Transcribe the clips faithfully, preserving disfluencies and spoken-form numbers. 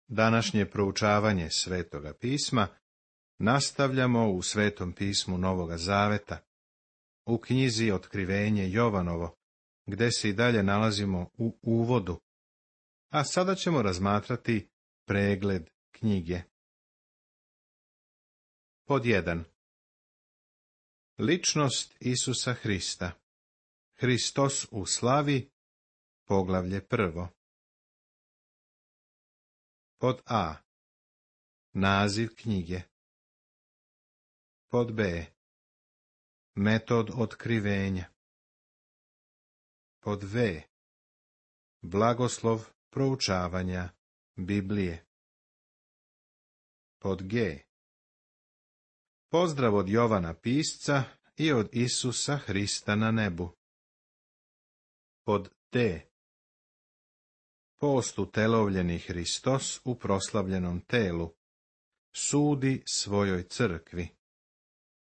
Današnje proučavanje Svetoga pisma nastavljamo u Svetom pismu Novoga Zaveta, u knjizi Otkrivenje Jovanovo, gde se i dalje nalazimo u uvodu, a sada ćemo razmatrati pregled knjige. Pod jedan. Ličnost Isusa Hrista. Hristos u slavi, poglavlje prvo. Pod A. Naziv knjige. Pod B. Metod otkrivenja. Pod V. Blagoslov proučavanja Biblije. Pod G. Pozdrav od Jovana pisca i od Isusa Hrista na nebu. Pod D. Post utelovljeni Hristos u proslavljenom telu sudi svojoj crkvi,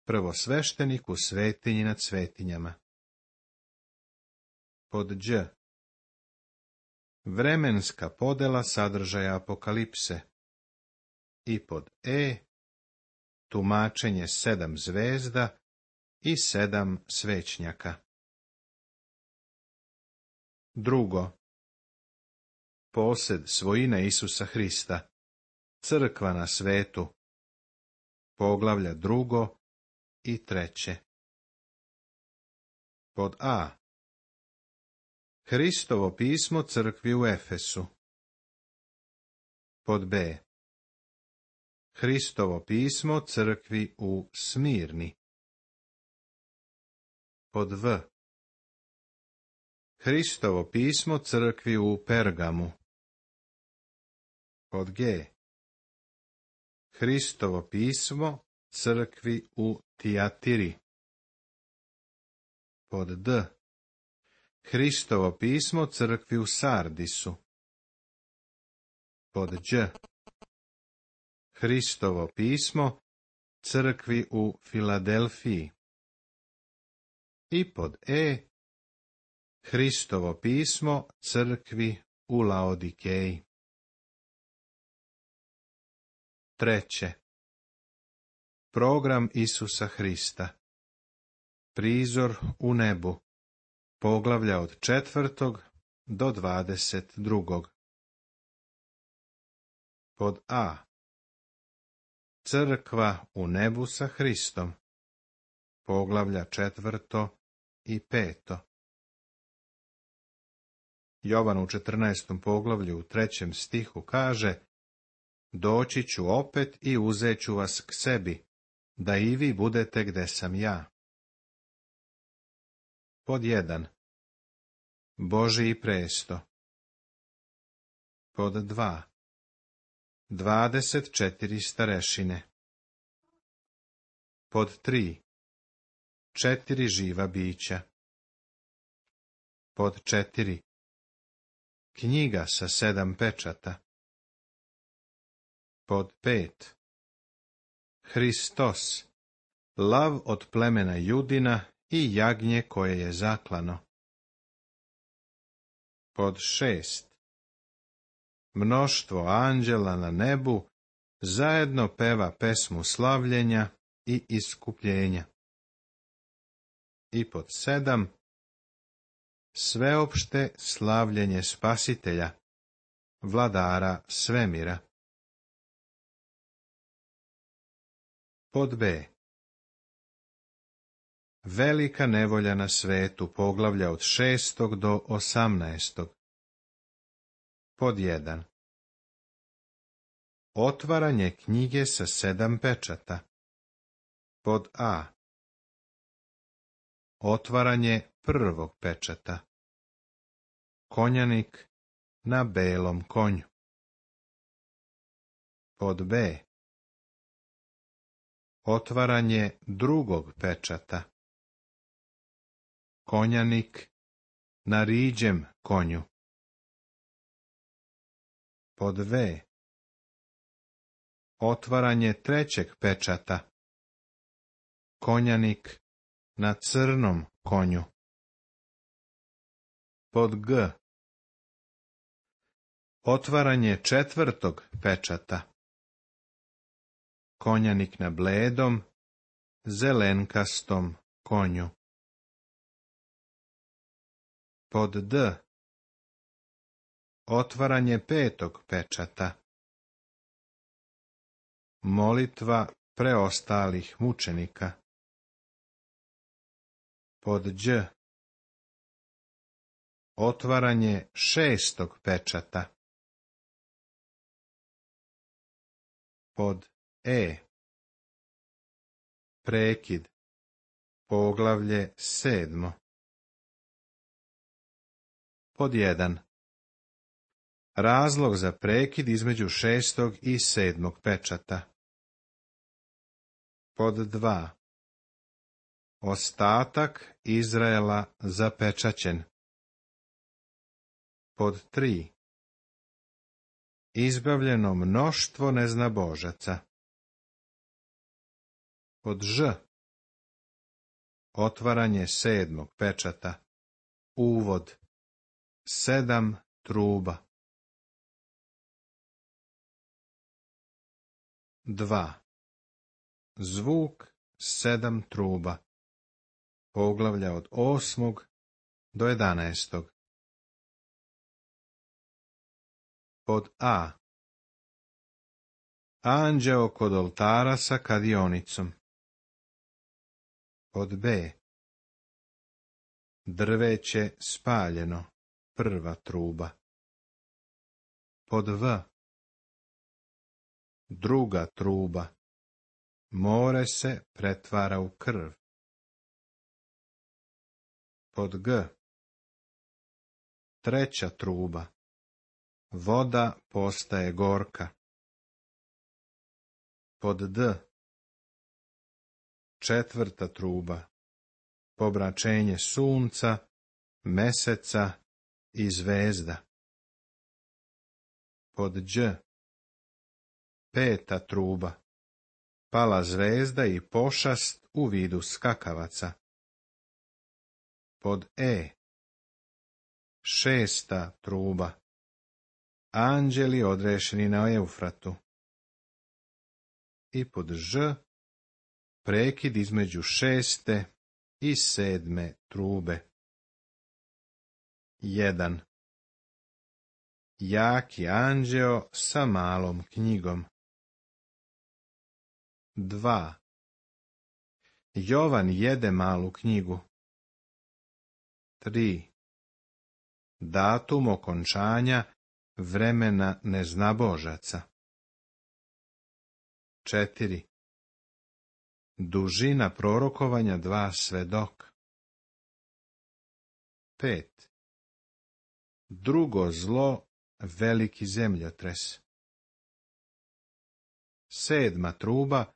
prvosveštenik u svetinji nad svetinjama. Pod Đ. Vremenska podela sadržaja apokalipse. I pod E. Tumačenje sedam zvezda i sedam svećnjaka. Drugo. Posed svojine Isusa Hrista, crkva na svetu, poglavlja drugo i treće. Pod A. Hristovo pismo crkvi u Efesu. Pod B. Hristovo pismo crkvi u Smirni. Pod V. Hristovo pismo crkvi u Pergamu. Pod G. Hristovo pismo crkvi u Tijatiri. Pod D. Hristovo pismo crkvi u Sardisu. Pod Đ. Hristovo pismo crkvi u Filadelfiji. I pod E. Hristovo pismo crkvi u Laodikeji. Treće. Program Isusa Hrista. Prizor u nebu. Poglavlja od četvrtog do dvadeset drugog. Pod A. Crkva u nebu sa Hristom. Poglavlja četvrto i peto. Jovan u četrnaestom poglavlju u trećem stihu kaže: Doći ću opet i uzet ću vas k sebi, da i vi budete gde sam ja. Pod jedan. Božji presto. Pod dva. Dvadeset četiri starešine. Pod tri. Četiri živa bića. Pod četiri. Knjiga sa sedam pečata. Pod pet. Hristos, lav od plemena Judina i jagnje koje je zaklano. Pod šest. Mnoštvo anđela na nebu zajedno peva pesmu slavljenja i iskupljenja. I pod sedam. Sveopšte slavljenje Spasitelja, vladara svemira. Pod B. Velika nevolja na svetu, poglavlja od šestog do osamnaestog. Pod jedan. Otvaranje knjige sa sedam pečata. Pod A. Otvaranje prvog pečata. Konjanik na belom konju. Pod B. Otvaranje drugog pečata. Konjanik na riđem konju. Pod V. Otvaranje trećeg pečata. Konjanik na crnom konju. Pod G. Otvaranje četvrtog pečata. Konjanik na bledom, zelenkastom konju. Pod D. Otvaranje petog pečata. Molitva preostalih mučenika. Pod Đ. Otvaranje šestog pečata. Pod E. Prekid. Poglavlje sedmo. Pod jedan. Razlog za prekid između šestog i sedmog pečata. Pod dva. Ostatak Izraela zapečaćen. Pod tri. Izbavljeno mnoštvo neznabožaca. Pod Ž. Otvaranje sedmog pečata. Uvod. Sedam truba. Dva. Zvuk sedam truba. Poglavlja od osmog do jedanaestog. Pod A. Anđeo kod oltara sa kadionicom. Pod B. Drveće spaljeno, prva truba. Pod V. Druga truba. More se pretvara u krv. Pod G. Treća truba. Voda postaje gorka. Pod D. Četvrta truba. Pobraćenje sunca, meseca i zvezda. Pod Đ. Peta truba. Pala zvezda i pošast u vidu skakavaca. Pod E. Šesta truba. Anđeli odrešeni na Eufratu. I pod Ž. Prekid između šeste i sedme trube. Jedan. Jaki anđeo sa malom knjigom. Dva. Jovan jede malu knjigu. Tri. Datum okončanja vremena neznabožaca. Četiri. Dužina prorokovanja dva svedok. Pet. Drugo zlo, veliki zemljotres. Sedma truba,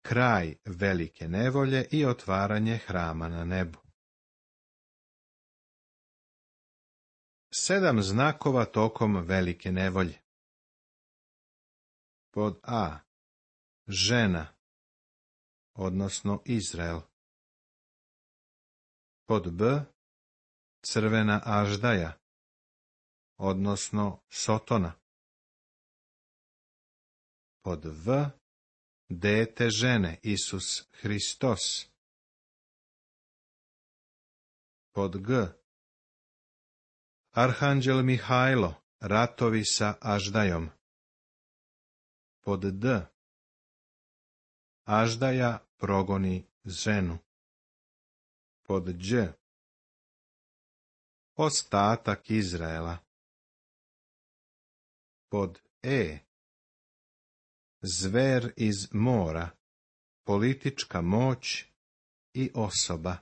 kraj velike nevolje i otvaranje hrama na nebu. Sedam znakova tokom velike nevolje. Pod A. Žena, odnosno Izrael. Pod B. Crvena aždaja, odnosno Sotona. Pod V. Dete žene, Isus Hristos. Pod G. Arhanđel Mihajlo, ratovi sa aždajom. Pod D. Aždaja progoni ženu. Pod Đ. Ostatak Izraela. Pod E. Zver iz mora, politička moć i osoba.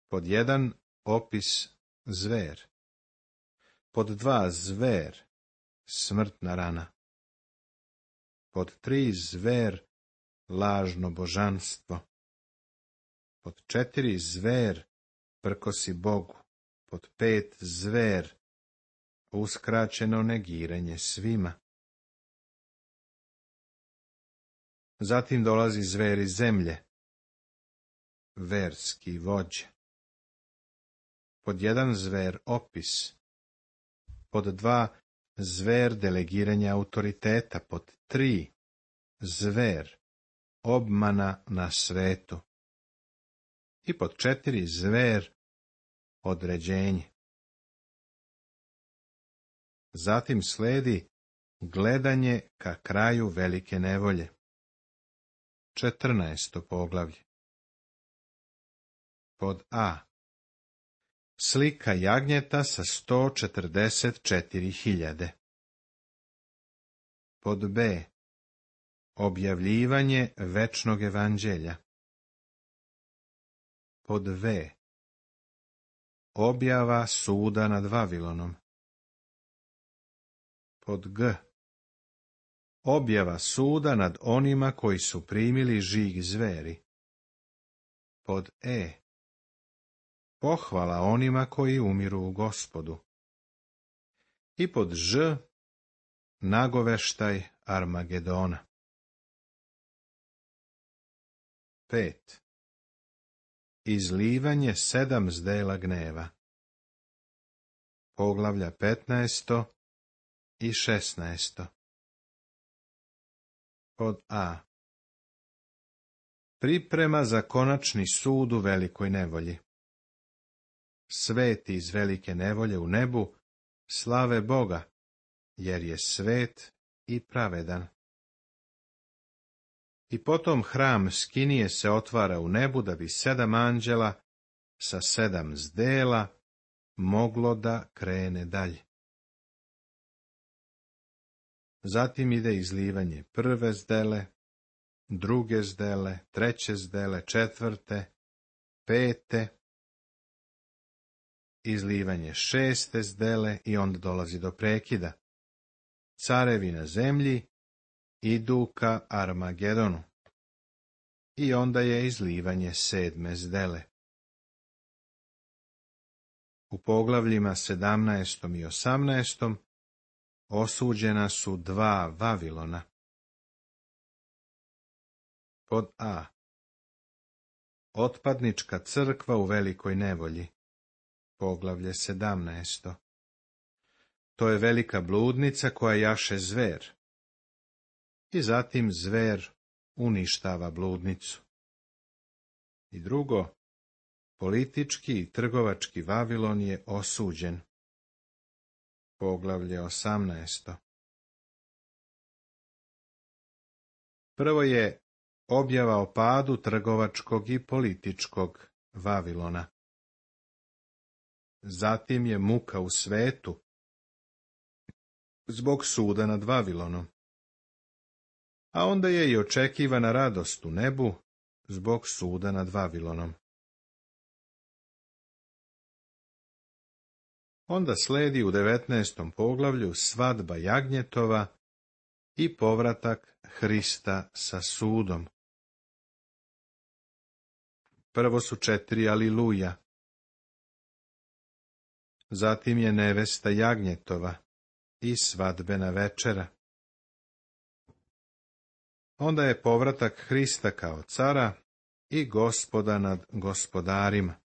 Pod jedan. Opis zver. Pod dva. Zver, smrtna rana. Pod tri. Zver, lažno božanstvo. Pod četiri. Zver, prkosi Bogu. Pod pet. Zver, uskraćeno negiranje svima. Zatim dolazi zver iz zemlje, verski vođa. Pod jedan. Zver opis. Pod dva, zver delegiranja autoriteta. Pod tri, zver obmana na svetu. I pod četiri, zver određenje. Zatim sledi gledanje ka kraju velike nevolje. Četrnaesto poglavlje. Pod A. Slika jagnjeta sa sto četrdeset četiri hiljade. Pod B. Objavljivanje večnog evanđelja. Pod V. Objava suda nad Vavilonom. Pod G. Objava suda nad onima koji su primili žig zveri. Pod E. Pohvala onima koji umiru u Gospodu. I pod Ž. Nagoveštaj Armagedona. Pet. Izlivanje sedam zdela gneva. Poglavlja petnaesto i šesnaesto. Pod A. Priprema za konačni sud u velikoj nevolji. Sveti iz velike nevolje u nebu slave Boga, jer je svet i pravedan. I potom hram Skinije se otvara u nebu da bi sedam anđela sa sedam zdela moglo da krene dalje. Zatim ide izlivanje prve zdele, druge zdele, treće zdele, četvrte, pete, izlivanje šeste zdele i onda dolazi do prekida. Carevi na zemlji idu ka Armagedonu. I onda je izlivanje sedme zdele. U poglavljima sedamnaestom i osamnaestom osuđena su dva Vavilona. Pod A. Otpadnička crkva u velikoj nevolji. Poglavlje sedamnaesto. To je velika bludnica koja jaše zver. I zatim zver uništava bludnicu. I drugo, politički i trgovački Vavilon je osuđen. Poglavlje osamnaesto. Prvo je objava o padu trgovačkog i političkog Vavilona. Zatim je muka u svetu zbog suda nad Vavilonom. A onda je i očekivana radost u nebu zbog suda nad Vavilonom. Onda sledi u devetnaestom poglavlju svadba jagnjetova i povratak Hrista sa sudom. Prvo su četiri aliluja. Zatim je nevesta jagnjetova i svadbena večera. Onda je povratak Hrista kao cara i Gospoda nad gospodarima.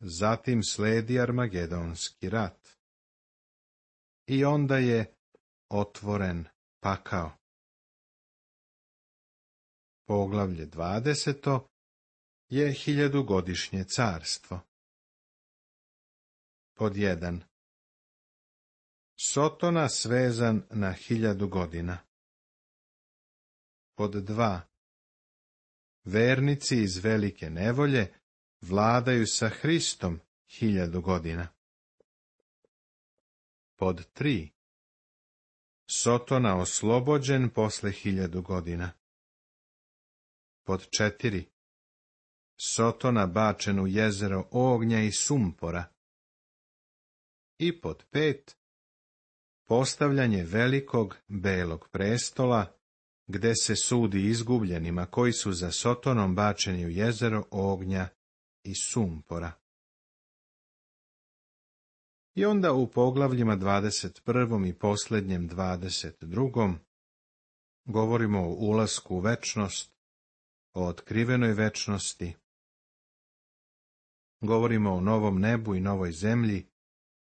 Zatim sledi Armagedonski rat. I onda je otvoren pakao. Poglavlje dvadeseto je hiljadugodišnje carstvo. Pod jedan. Sotona svezan na hiljadu godina. Pod dva. Vernici iz velike nevolje vladaju sa Hristom hiljadu godina. Pod tri. Sotona oslobođen posle hiljadu godina. Pod četiri. Sotona bačen u jezero ognja i sumpora. I pod pet. Postavljanje velikog belog prestola, gde se sudi izgubljenima koji su za Sotonom bačeni u jezero ognja i sumpora. I onda u poglavljima dvadeset prvom i posljednjem dvadeset drugom govorimo o ulasku u večnost, o otkrivenoj večnosti, govorimo o novom nebu i novoj zemlji,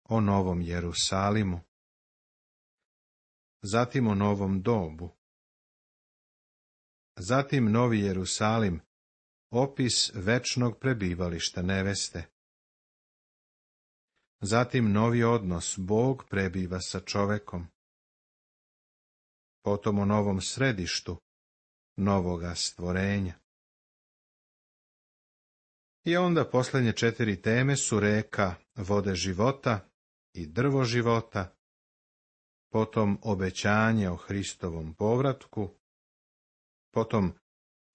o novom Jerusalimu, zatim o novom dobu, zatim novi Jerusalim, opis večnog prebivališta neveste, zatim novi odnos, Bog prebiva sa čovekom, potom o novom središtu, novoga stvorenja. I onda posljednje četiri teme su reka vode života i drvo života, potom obećanje o Hristovom povratku, potom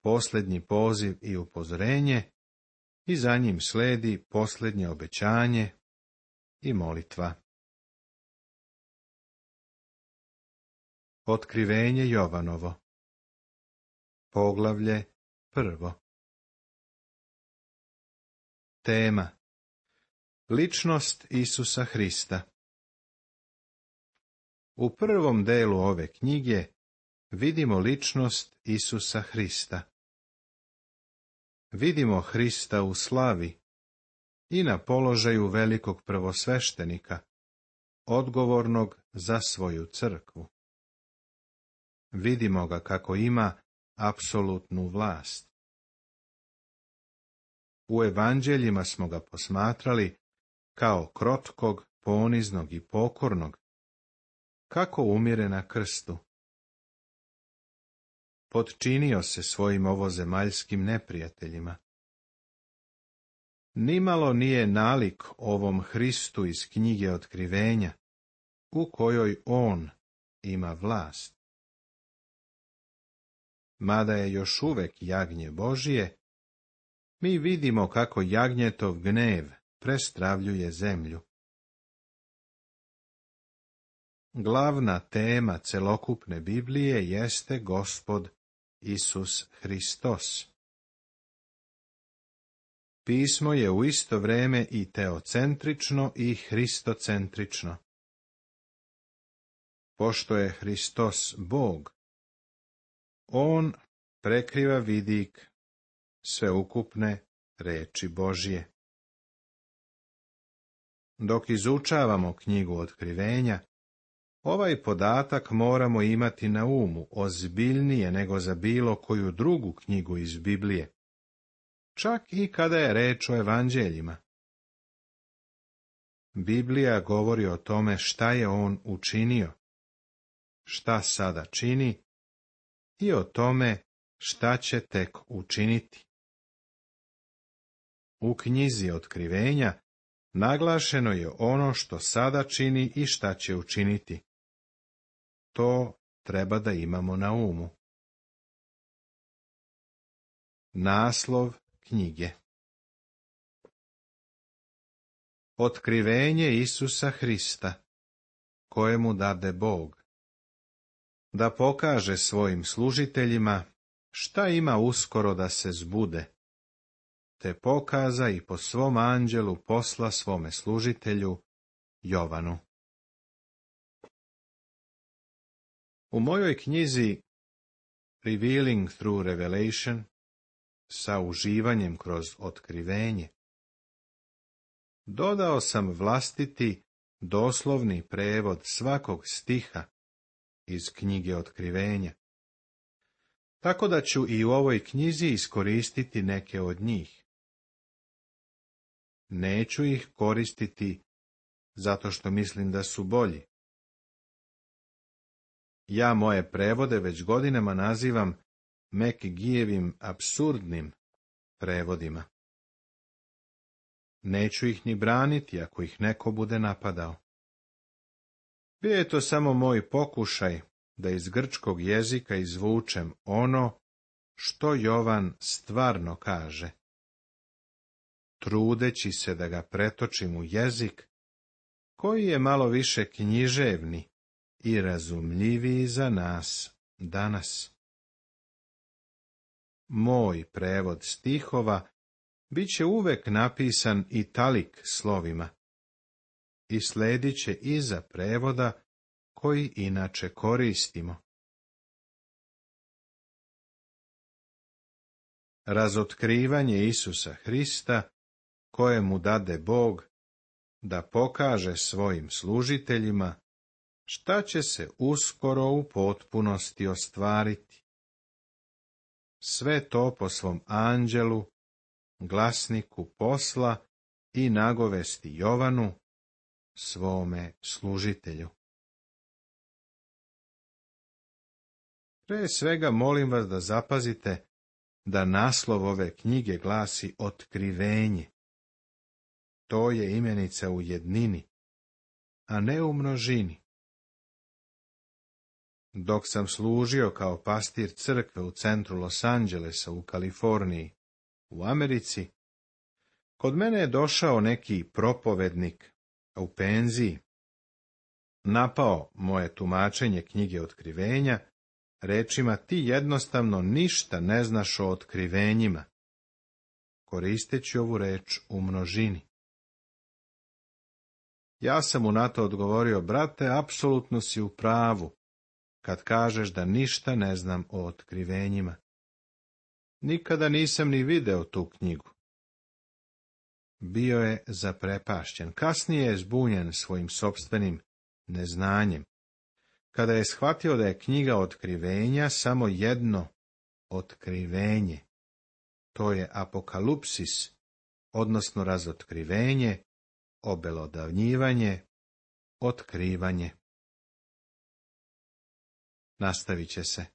posljednji poziv i upozorenje i za njim slijedi posljednje obećanje i molitva. Otkrivenje Jovanovo. Poglavlje prvo. Tema: ličnost Isusa Hrista. U prvom delu ove knjige vidimo ličnost Isusa Hrista. Vidimo Hrista u slavi i na položaju velikog prvosveštenika, odgovornog za svoju crkvu. Vidimo ga kako ima apsolutnu vlast. U evanđeljima smo ga posmatrali kao krotkog, poniznog i pokornog, kako umire na krstu. Potčinio se svojim ovozemaljskim neprijateljima. Nimalo nije nalik ovom Hristu iz knjige Otkrivenja, u kojoj on ima vlast. Mada je još uvek jagnje Božije, mi vidimo kako jagnjetov gnev prestravljuje zemlju. Glavna tema celokupne Biblije jeste Gospod Isus Hristos. Pismo je u isto vrijeme i teocentrično i hristocentrično. Pošto je Hristos Bog, on prekriva vidik sveukupne reči Božje. Dok izučavamo knjigu Otkrivenja, ovaj podatak moramo imati na umu ozbiljnije nego za bilo koju drugu knjigu iz Biblije, čak i kada je reč o evanđeljima. Biblija govori o tome šta je on učinio, šta sada čini i o tome šta će tek učiniti. U knjizi Otkrivenja naglašeno je ono što sada čini i šta će učiniti. To treba da imamo na umu. Naslov knjige. Otkrivenje Isusa Hrista, kojemu dade Bog, da pokaže svojim služiteljima šta ima uskoro da se zbude, te pokaza i po svom anđelu posla svome služitelju Jovanu. U mojoj knjizi Revealing through Revelation, sa uživanjem kroz otkrivenje, dodao sam vlastiti doslovni prevod svakog stiha iz knjige Otkrivenja, tako da ću i u ovoj knjizi iskoristiti neke od njih. Neću ih koristiti zato što mislim da su bolji. Ja moje prevode već godinama nazivam McGeeovim apsurdnim prevodima. Neću ih ni braniti ako ih neko bude napadao. Bio je to samo moj pokušaj da iz grčkog jezika izvučem ono što Jovan stvarno kaže, trudeći se da ga pretočim u jezik koji je malo više književni i razumljiviji za nas danas. Moj prevod stihova bit će uvek napisan italik slovima i sledit će iza prevoda koji inače koristimo. Razotkrivanje Isusa Hrista, kojemu dade Bog, da pokaže svojim služiteljima šta će se uskoro u potpunosti ostvariti. Sve to po svom anđelu, glasniku posla i nagovesti Jovanu, svome služitelju. Pre svega molim vas da zapazite da naslov ove knjige glasi Otkrivenje. To je imenica u jednini, a ne u množini. Dok sam služio kao pastir crkve u centru Los Angelesa u Kaliforniji, u Americi, kod mene je došao neki propovednik u penziji, napao moje tumačenje knjige Otkrivenja rečima: ti jednostavno ništa ne znaš o otkrivenjima, koristeći ovu reč u množini. Ja sam mu na to odgovorio: brate, apsolutno si u pravu kad kažeš da ništa ne znam o otkrivenjima. Nikada nisam ni video tu knjigu. Bio je zaprepašćen, kasnije je zbunjen svojim sopstvenim neznanjem, kada je shvatio da je knjiga Otkrivenja samo jedno otkrivenje. To je apokalupsis, odnosno razotkrivenje, obelodavnjivanje, otkrivanje. Nastavit će se